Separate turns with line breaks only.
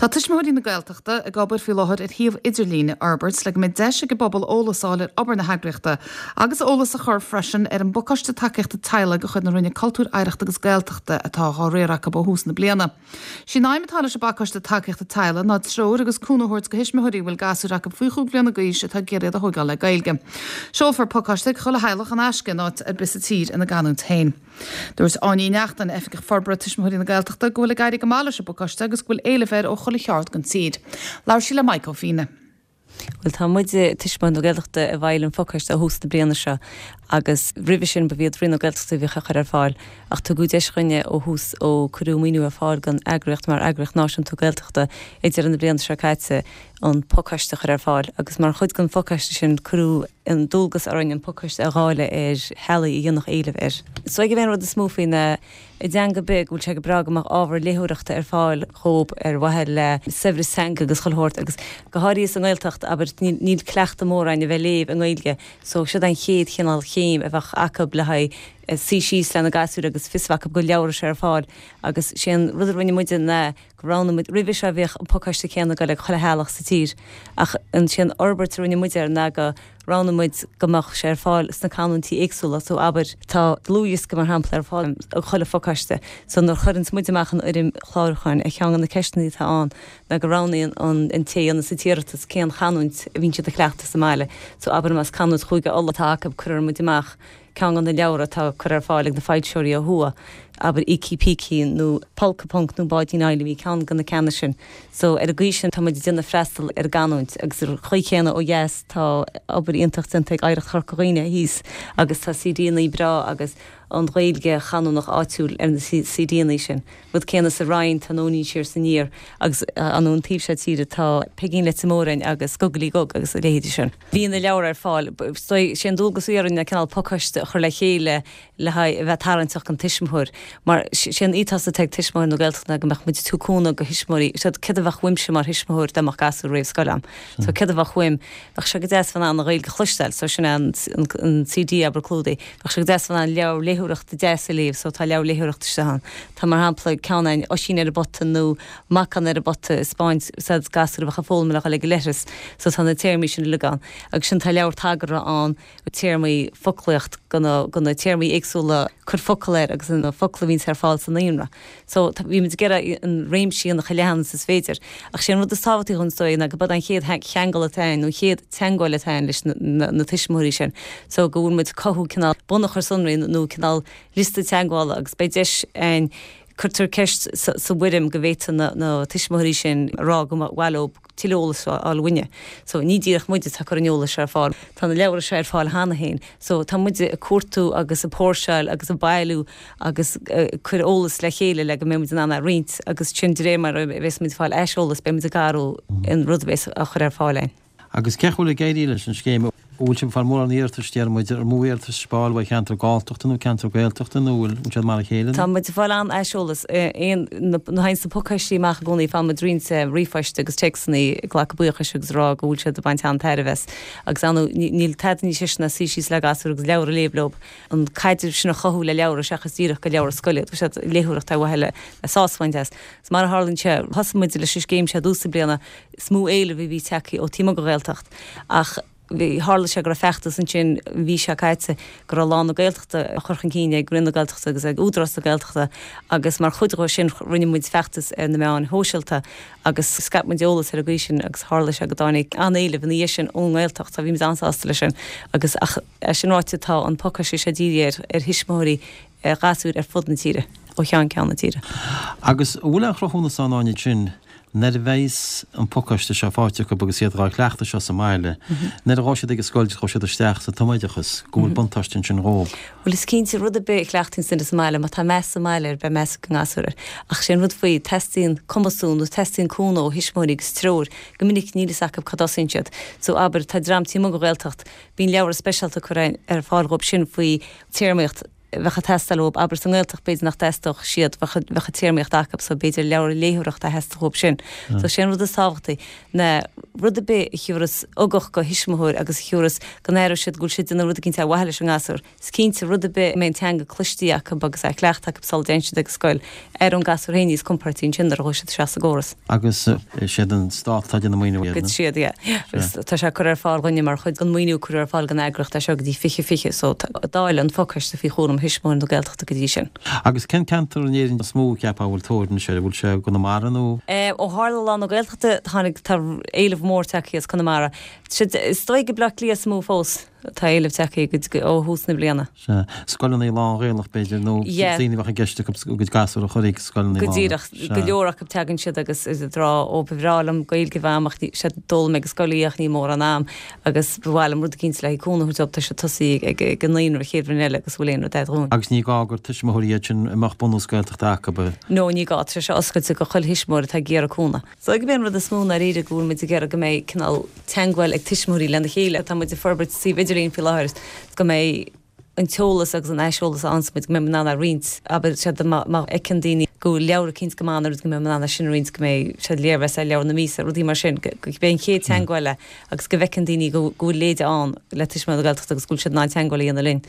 Tá Tuismitheoirí na Gaeltachta ag obair faoi láthair ar shuíomh idirlín a fhorbairt le go mbeidh deis ag an bpobal eolas a fháil ar obair na heagraíochta agus eolas a chur freisin ar an bpacáiste tacaíochta teaghlaigh de chuid na Roinne Cultúir, Oidhreachta agus Gaeltachta atá á riar acu ó thús na bliana. Sí an aidhm atá leis an bpacáiste tacaíochta teaghlaigh ná treoir agus cúnamh a thabhairt do thuismitheoirí a bhfuil gasúir acu faoi chúig bhliana d'aois atá ag iarraidh iad a thóigeáil le Gaeilge. Seolfar pacáiste chuig chuile theaghlach in aisce in áit ar bith sa tír ina gcanúint féin. Dúirt Áine Uí Neachtain, Oifigeach Forbartha Tuismitheoirí na Gaeltachta, go bhfuil ag éirí go maith leis an bpacáiste agus go bhfuil éileamh air ó chuile cheard den tír. Labhair sí le Mike Ó Fianna.
Bhuel, tá muide, Tuismitheoirí na Gaeltachta, ag fáil an phacáiste ó thús na bliana seo agus roimhe sin ba iad Roinn na Gaeltachta a bhíodh á chur ar fáil ach tugadh deis dhúinne ó thús ó cuireadh maoiniú ar fáil don eagraíocht mar Eagraíocht Náisiúnta Gaeltachta ag deireadh na bliana seo caite an pacáiste a chur ar fáil agus mar chuid den phacáiste sin cuireadh an dualgas orainn an pacáiste a dháileadh ar theaghlaigh a dhéanfadh éileamh air. Is dóigh gurb é an rud is mó faoi ná i dteanga ar bith go bhfuil sé go breá go mbeadh ábhar léitheoireachta ar fáil dhóibh ar mhaithe le saibhreas teanga agus chuile shórt agus go háirithe sa nGaeltacht, abair, níl cleachtadh mór againn a bheith ag léamh i nGaeilge so siod an chéad chineál chéim a bheadh acu le haghaidh suí síos lena gasúir agus fios a bheith acu go bhfuil leabhra seo ar fáil agus sé an rud a rinne muide ná go roghnaigh muid, roimhe seo bhíodh an pacáiste céanna ag goil ag chuile theaghlach sa tír ach sé an fhorbairt a rinne muid air ná go roghnaigh muid go mbeadh sé ar fáil sna canúintí éagsúla so abair tá dlúthdhiosca mar shampla ar fáil ag chuile phacáiste so nuair a chuireanns muid amach an fhoirm chlárúcháin ar cheann de na ceisteanna atá ann ná go roghnaíonn an an té a dhéanas an t-iarratas cén chanúint a bhíonn siad a chleachtadh sa mbaile so abair más canúint Chúige Uladh atá acu cuirfidh muid amach Ceann de na leabhra atá curtha ar fáil ag na foilsitheoirí ó thuaidh, abair Ící Pící nó Polca Punc nó Báidín Fheidhlimí, ceann de na ceanna sin. So, ar an gcaoi sin tá muid ag déanamh freastal ar an gcanúint agus ar an chaoi chéanna ó dheas tá obair iontach déanta ag Oidhreacht Chorca Dhuibhne thíos agus tá CDannaí breá agus an Ghaeilge chanúnach áitiúil ar na CDannaí sin. Rud céanna sa Rinn, tá Nóinín Siar 's Aniar agus an an taobh seo tíre tá Peigín Leite Mhóráin agus Gugalaí Gug agus a leithéidí sin. Bhí na leabhra ar fáil. Sé an dualgas a bhí orainn ná cineál pacáiste a chur le chéile le haghaidh a bheith tarraingteach don tuismitheoir. Mar sé an ethos atá ag Tuismitheoirí na Gaeltachta ná go mbeadh muid ag tabhairt cúnamh do thuismitheoirí. Sea, céard a bheadh uaimse mar thuismitheoir dá mbeadh gasúr réamh scoile a'm? So céard a bheadh uaim? Bheadh sé go deas bheith in ann an Ghaeilge a chloisteáil, so sin é an CD abair clúdaigh. Bheadh sé go deas bheith in ann leabhar léitheoireachta deas a léamh, so tá leabhar léitheoireachta istigh ann. Tá mar shampla ceann ann Oisín ar an bpota nó Macán ar an bpota ag 'spáint said gasúr a bheadh ag foghlaim le dhul ag an leithreas so tá na téarmaí sin uilig ann. Agus sin tá leabhar tagartha ann, téarmaí, foclaíocht go na, go na téarmaí éagsúla, cuir focal air agus na focla a bhíonns ar fáil sa naíonra. So tá, bhí muid ag iarraidh an réimse a dhéanamh chomh leathan is is féidir. Ach sé an rud is tábhachtaí dhúinn is dóigh ná go b'é an chéad cheangal atá ann nó an chéad teagmháil atá ann leis na, na, na tuismitheoirí sin. So go bhfuil muid ag cothú cineál bunachar sonraí nó cineál liosta teagmhála agus beidh deis ann Cuirtear ceist sa bhfoirm go bhféadfadh na tuismitheoirí sin a rá go mba mhaith leo tuilleadh eolais a fháil uainne. So ní díreach muid atá ag cur an eolais seo ar fáil. Tá na leabhra seo ar fáil cheana féin. So tá muid ag cuartú agus ag póirseáil agus ag bailiú agus ag cur eolas le chéile le go mbeidh muid in ann é a roinnt agus sin de réir mar a bheas muid ag fáil aiseolas beidh muid ag athrú an rud a bheas á chur ar fáil againn.
Agus cén chaoi a bhfuil ag éirí leis an scéim? An bhfuil sibh ag fáil mórán iarratais, deir muid, an mó iarratais ag fáil ó cheantar Galltachta nó ceantar Gaeltachta nó bhfuil siad mar a chéile?
Tá muid ag fáil an-aiseolas. Aon, na théann na pacáistí amach i gcónaí, faigheann muid roinnt ríomhphoist agus téacsanna ag glacadh buíochais agus ag rá go bhfuil siad ag baint an-tairbhe as. Agus ar ndóigh, níl tada níos deise ná suí síos le gasúr agus leabhar a léamh leo. An caidreamh sin a chothú le leabhra seachas díreach go leabhra scoile. Tá siad léitheoireacht ar mhaithe le sásamh a bhaint as. Is mar a tharlaíonn sé, thosaigh muid leis an scéim seo i dtús na bliana, Is mó éileamh a bhí tagtha ó taobh amuigh den Ghaeltacht ach bhí, tharla sé go raibh feachtas ansin an mhí seo caite go raibh Lá na Gaeltachta á chur chun cinn ag Roinn na Gaeltachta agus ag Údarás na Gaeltachta agus mar chuid dhó sin rinne muid feachtas ar na meáin shóisialta agus scaip muid eolas ar an gcaoi sin agus tharla sé go dtáinig an-éileamh ina dhiaidh sin ón nGaeltacht so bhí muid an-sásta leis sin agus ach é sin ráite tá an pacáiste seo dírithe ar ar thuismitheoirí gasúir ar fud na tíre, ó cheann ceann na tíre.
Agus an bhfuil aon chruthúnas ann Áine sin nuair a bheas an pacáiste seo faighte acu agus iad dhá chleachtadh seo sa mbaile, nuair a ghabhfaidh siad ag an scoil, ghabhfaidh siad isteach sa tumoideachas, go bhfuil buntáiste ansin dhóibh?
Bhuel is cinnte, rud ar bith a chleachtaíonn duine sa mbaile, má tá meas sa mbaile air, beidh meas ag an ngasúr air. Ach sé an rud faoi, teastaíonn cumasú nó teastaíonn cúnamh ó thuismitheoirí agus treoir. Go minic níl fhios acu cá dtosaíonn siad. So abair, tá dream taobh amuigh den Ghaeltacht, bíonn leabhra speisialta curtha ar fáil dhóibh sin faoi téarmaíocht. bheadh ag teastáil uathub, abair sa nGaeltacht b'fhéidir nach dteastódh siad, bheadh an téarmaíocht acu so b'fhéidir leabhar léitheoireachta a theastódh uathub sin. So sé an rud is tábhachtaí ná rud ar bith a thiúrfas ugach go thuismitheoir agus a thiúrfas go n-aireoidh siad go bhfuil siad ag déanamh rud eicínt ar mhaithe leis an ngasúr. Is cinnte, rud ar bith a mbeidh an teanga cloistí acu agus á cleachtadh acu sula dtéann siad ag an scoil, aireoidh an gasúr féin níos compóirtí ansin nuair a ghabhfaidh siad isteach sa gcóras.
Agus is iad an Stát atá ag déanamh maoiniú air,
nó? Is iad, yeah. Agus tá sé curtha ar fáil dhúinne mar chuid den mhaoiniú a cuireadh ar fáil don eagraíocht as seo go dtí 2020, so tá dáileadh an phacáiste faoi chúram Thuismitheoirí na Gaeltachta go dtí sin.
Agus cén ceantar in Éirinn is mó a cheapfá a bhfuil tóir anois air? An bhfuil sé i gConamara nó?
Ó tharla Lá na Gaeltachta, tháinig, tá éileamh mór tagtha as Conamara. Is dóigh gur Baile Átha Cliath is mó fós. Tá éileamh tagtha ó thús na bliana.
Sea. Scoileanna lán-Ghaelach, b'fhéidir, nó daoine a bheadh i gceist acu a gcuid gasúr a chur ag scoileanna
lán. Go díreach. Go leor acu tagann siad agus ag rá, ó ba bhreá liom Gaeilge a bheith a'm ach sea d'fhoghlaim mé ag an scoil í ach ní mórán am agus ba mhaith liom rud eicínt le haghaidh cúnamh a thabhairt dóibh, tá siad tosaithe ag an naíonra an chéad bhliain eile agus bhfuil aon rud a'd dhúinn.
Agus ní gá gur tuismitheoirí iad sin a mbeadh bunús Gaeltachta acu.
No, ní gá. Tá sé seo oscailte go chuile thuismitheoir atá ag iarraidh cúnamh. So gurb é an rud is mó ndáiríre go bhfuil muid ag iarraidh go mbeidh cineál teangmháil ag tuismitheoirí lena chéile. Tá muid ag forbairt suíomh idirlín faoi láthair go mbeidh an t-eolas agus an aiseolas a fhaigheanns muid, go mbeidh muid in ann é a roinnt. Abair, sea, má fheiceann daoine go bhfuil leabhar eicínt go maith nó rud go mbeidh muid in ann é sin a roinnt, go mbeidh, sea, léirmheas ar leabhar na míosa, rudaí mar sin, go mbeidh an chéad teangmháil agus go bhfeiceann daoine go bhfuil leide ann le Tuismitheoirí na Gaeltachta agus go bhfuil siad in ann teangmháil a dhéanamh linn.